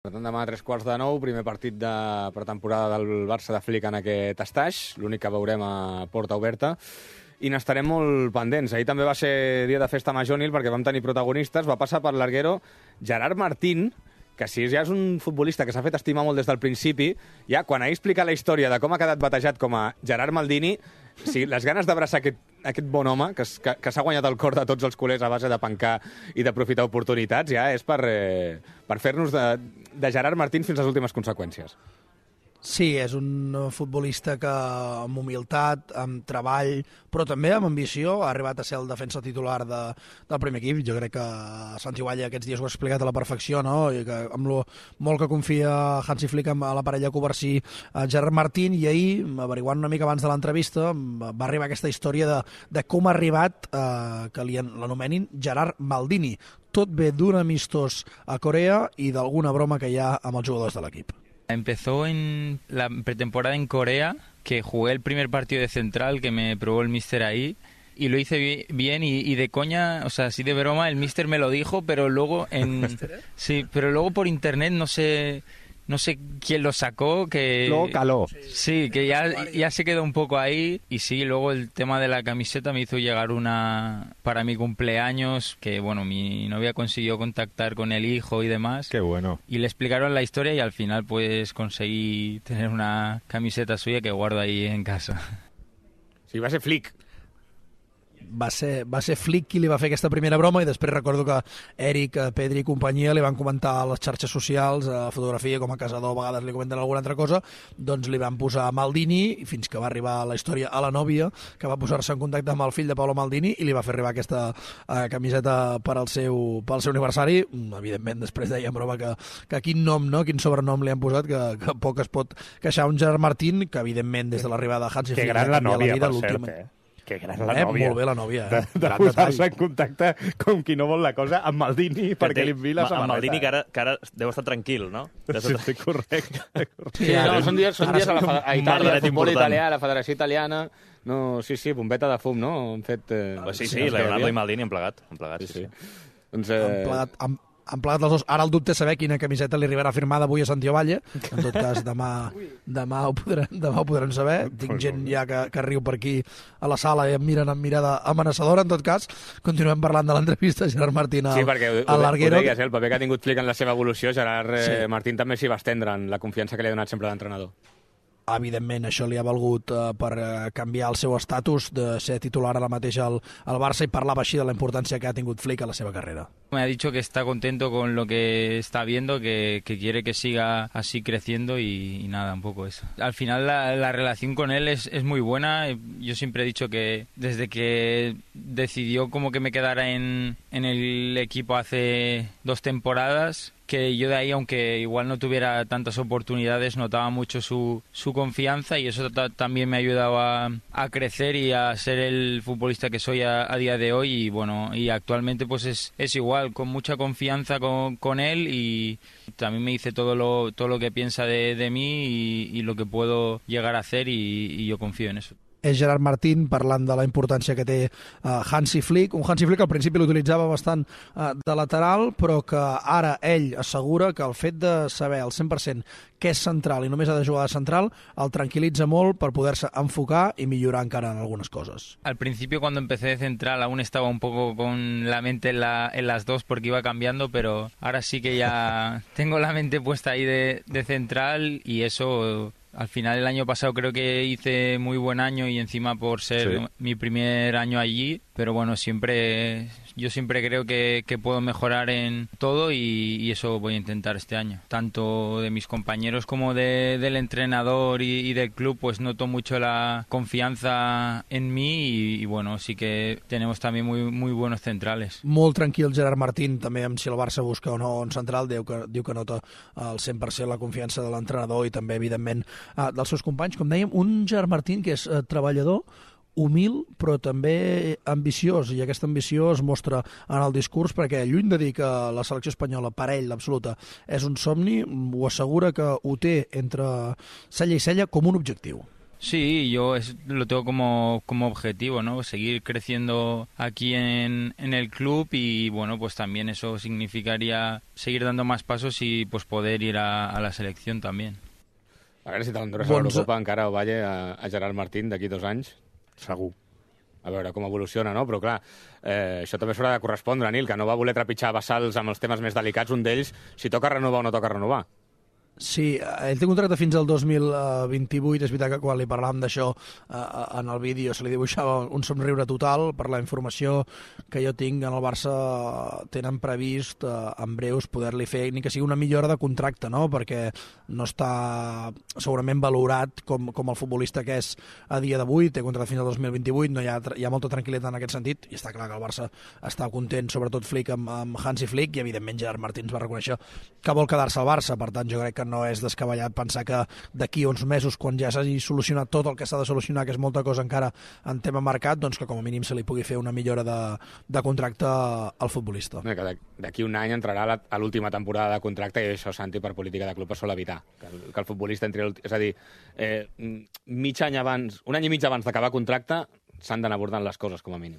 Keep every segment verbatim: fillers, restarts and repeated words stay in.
Per tant, demà a tres quarts de nou, primer partit de pretemporada del Barça de Flick en aquest estaix, l'únic que veurem a porta oberta, i n'estarem molt pendents. Ahir també va ser dia de festa major, Nil, perquè vam tenir protagonistes. Va passar per l'arguero Gerard Martín, que si ja és un futbolista que s'ha fet estimar molt des del principi, ja quan ahir explica la història de com ha quedat batejat com a Gerard Maldini, sí, les ganes d'abraçar aquest, aquest bon home, que, que, que s'ha guanyat el cor de tots els culers a base de pencar i d'aprofitar oportunitats, ja és per, eh, per fer-nos de, de Gerard Martín fins a les últimes conseqüències. Sí, és un futbolista que amb humilitat, amb treball, però també amb ambició, ha arribat a ser el defensa titular de, del primer equip. Jo crec que Santi Gualla aquests dies ho ha explicat a la perfecció, no? I que amb lo molt que confia Hansi Flick a la parella Covarsí, a Gerard Martín, i ahir, averiguant una mica abans de l'entrevista, va arribar aquesta història de, de com ha arribat eh, que l'anomenin Gerard Maldini. Tot ve d'un amistós a Corea i d'alguna broma que hi ha amb els jugadors de l'equip. Empezó en la pretemporada en Corea, que jugué el primer partido de central, que me probó el míster ahí, y lo hice bien y, y de coña, o sea, así de broma, el míster me lo dijo, pero luego en sí, pero luego por internet no sé no sé quién lo sacó, que luego caló. Sí, que ya, ya se quedó un poco ahí. Y sí, luego el tema de la camiseta me hizo llegar una para mi cumpleaños, que bueno, mi novia consiguió contactar con el hijo y demás. Qué bueno. Y le explicaron la historia y al final pues conseguí tener una camiseta suya que guardo ahí en casa. Sí, va ser Flick. Va ser, va ser Flick qui li va fer aquesta primera broma, i després recordo que Eric, Pedri i companyia li van comentar a les xarxes socials, a la fotografia, com a casador a vegades li comenten alguna altra cosa, doncs li van posar Maldini, fins que va arribar la història a la nòvia, que va posar-se en contacte amb el fill de Paolo Maldini i li va fer arribar aquesta uh, camiseta per al seu, pel seu aniversari. Evidentment, després deia en broma que, que quin nom, no? Quin sobrenom li han posat, que, que poc es pot queixar un Gerard Martín, que evidentment des de l'arribada de Hansi Flick... Que gran la nòvia, per cert, eh? Que gran la eh, nòvia. Molt bé la nòvia, eh? De, de posar-se en contacte com qui no vol la cosa amb Maldini perquè li enviï la samarreta. Amb Maldini, que ara, que ara deu estar tranquil, no? Sí, sí, correcte. Sí, no, són dies, són dies a, la, a Itàlia, al futbol important. italià, a la Federació Italiana. No, sí, sí, bombeta de fum, no? Han fet... Eh, ah, sí, sí, Leonardo i Maldini han plegat. Han plegat, sí, sí. sí. Doncs, eh... Han plegat, han, han plegat els dos. Ara el dubte és saber quina camiseta li arribarà firmada avui a Santiago Valle. En tot cas, demà, demà, ho podrem, demà ho podrem saber. Tinc gent ja que, que riu per aquí a la sala i em miren amb mirada amenaçadora. En tot cas, continuem parlant de l'entrevista a Gerard Martín al, sí, perquè ho, al Larguero. Ho deies, eh? El paper que ha tingut Flick en la seva evolució, Gerard eh, sí. Martín també s'hi va estendre en la confiança que li ha donat sempre l'entrenador. Evidentment, això li ha valgut uh, per uh, canviar el seu estatus de ser titular ara mateix al, al Barça, i parlava així de la importància que ha tingut Flick a la seva carrera. Me ha dicho que está contento con lo que está viendo, que, que quiere que siga así creciendo y, y nada, un poco eso. Al final la, la relación con él es, es muy buena. Yo siempre he dicho que desde que decidió como que me quedara en, en el equipo hace dos temporadas, que yo de ahí, aunque igual no tuviera tantas oportunidades, notaba mucho su, su confianza, y eso también me ha ayudado a, a crecer y a ser el futbolista que soy a, a día de hoy. Y bueno, y actualmente pues es, es igual, con mucha confianza con, con él, y también me dice todo lo, todo lo que piensa de, de mí y, y lo que puedo llegar a hacer, y, y yo confío en eso. És Gerard Martín parlant de la importància que té uh, Hansi Flick, un Hansi Flick que al principi l'utilitzava bastant uh, de lateral, però que ara ell assegura que el fet de saber al cent per cent que és central i només ha de jugar de central el tranquil·litza molt per poder-se enfocar i millorar encara en algunes coses. Al principio, cuando empecé de central, aún estaba un poco con la mente en, la, en las dos porque iba cambiando, pero ahora sí que ya tengo la mente puesta ahí de, de central, y eso... Al final el año pasado creo que hice muy buen año, y encima por ser sí. mi primer año allí, pero bueno, siempre yo siempre creo que, que puedo mejorar en todo, y, y eso voy a intentar este año. Tanto de mis compañeros como de, del entrenador y, y del club, pues noto mucho la confianza en mí, y, y bueno, sí que tenemos también muy, muy buenos centrales. Molt tranquil Gerard Martín, també amb si el Barça busca o no un central, diu que, diu que nota al cent per cent la confiança de l'entrenador i també, evidentment, Uh, dels seus companys. Com dèiem, un Gerard Martín que és uh, treballador, humil, però també ambiciós, i aquesta ambició es mostra en el discurs, perquè lluny de dir que la selecció espanyola per ell, l'absoluta, és un somni, ho assegura que ho té entre cella i cella com un objectiu. Sí, yo es, lo tengo como, como objetivo, ¿no? Seguir creciendo aquí en, en el club y, bueno, pues también eso significaría seguir dando más pasos y pues poder ir a, a la selección también. A veure si te l'endures a l'Eurocopa encara o Valle a, a Gerard Martín d'aquí dos anys. Segur. A veure com evoluciona, no? Però clar, eh, això també s'haurà de correspondre, Nil, que no va voler trepitjar vessals amb els temes més delicats, un d'ells, si toca renovar o no toca renovar. Sí, ell té contracte fins al dos mil vint-i-vuit. És veritat que quan li parlàvem d'això en el vídeo se li dibuixava un somriure total. Per la informació que jo tinc, en el Barça tenen previst en breus poder-li fer ni que sigui una millora de contracte, no? Perquè no està segurament valorat com, com el futbolista que és a dia d'avui. Té contracte fins al dos mil vint-i-vuit, no hi ha, hi ha molta tranquil·litat en aquest sentit, i està clar que el Barça està content, sobretot Flick amb, amb Hansi Flick, i evidentment Gerard Martins va reconèixer que vol quedar-se al Barça. Per tant, jo crec que no és descabellat pensar que d'aquí uns mesos, quan ja s'hagi solucionat tot el que s'ha de solucionar, que és molta cosa encara en tema mercat, doncs que com a mínim se li pugui fer una millora de, de contracte al futbolista. Que d'aquí un any entrarà a, la, a l'última temporada de contracte, i això, Santi, per política de club es sol evitar. Que el, que el futbolista entri... És a dir, eh, mig any abans, un any i mig abans d'acabar contracte, s'han d'anar abordant les coses, com a mínim.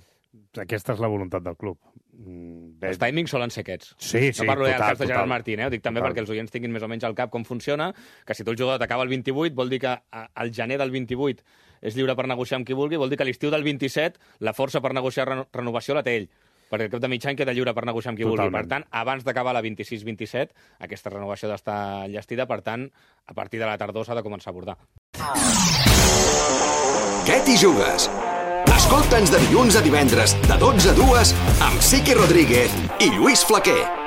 Aquesta és la voluntat del club. Els timings solen ser aquests. Sí, sí, no parlo total, del cas de Gerard total. Martín, eh? Ho dic també Total. perquè els oients tinguin més o menys al cap com funciona, que si tu el jugador t'acaba el vint-i-vuit, vol dir que al gener del vint-i-vuit és lliure per negociar amb qui vulgui, vol dir que a l'estiu del vint-i-set la força per negociar reno renovació la té ell, perquè al cap de mig any queda lliure per negociar amb qui Totalment. vulgui. Per tant, abans d'acabar la vint-i-sis vint-i-set, aquesta renovació ha d'estar enllestida, per tant, a partir de la tardor s'ha de començar a abordar. Què t'hi jugues? Escolta'ns de dilluns a divendres, de dotze a dues, amb Siqui Rodríguez i Lluís Flaquer.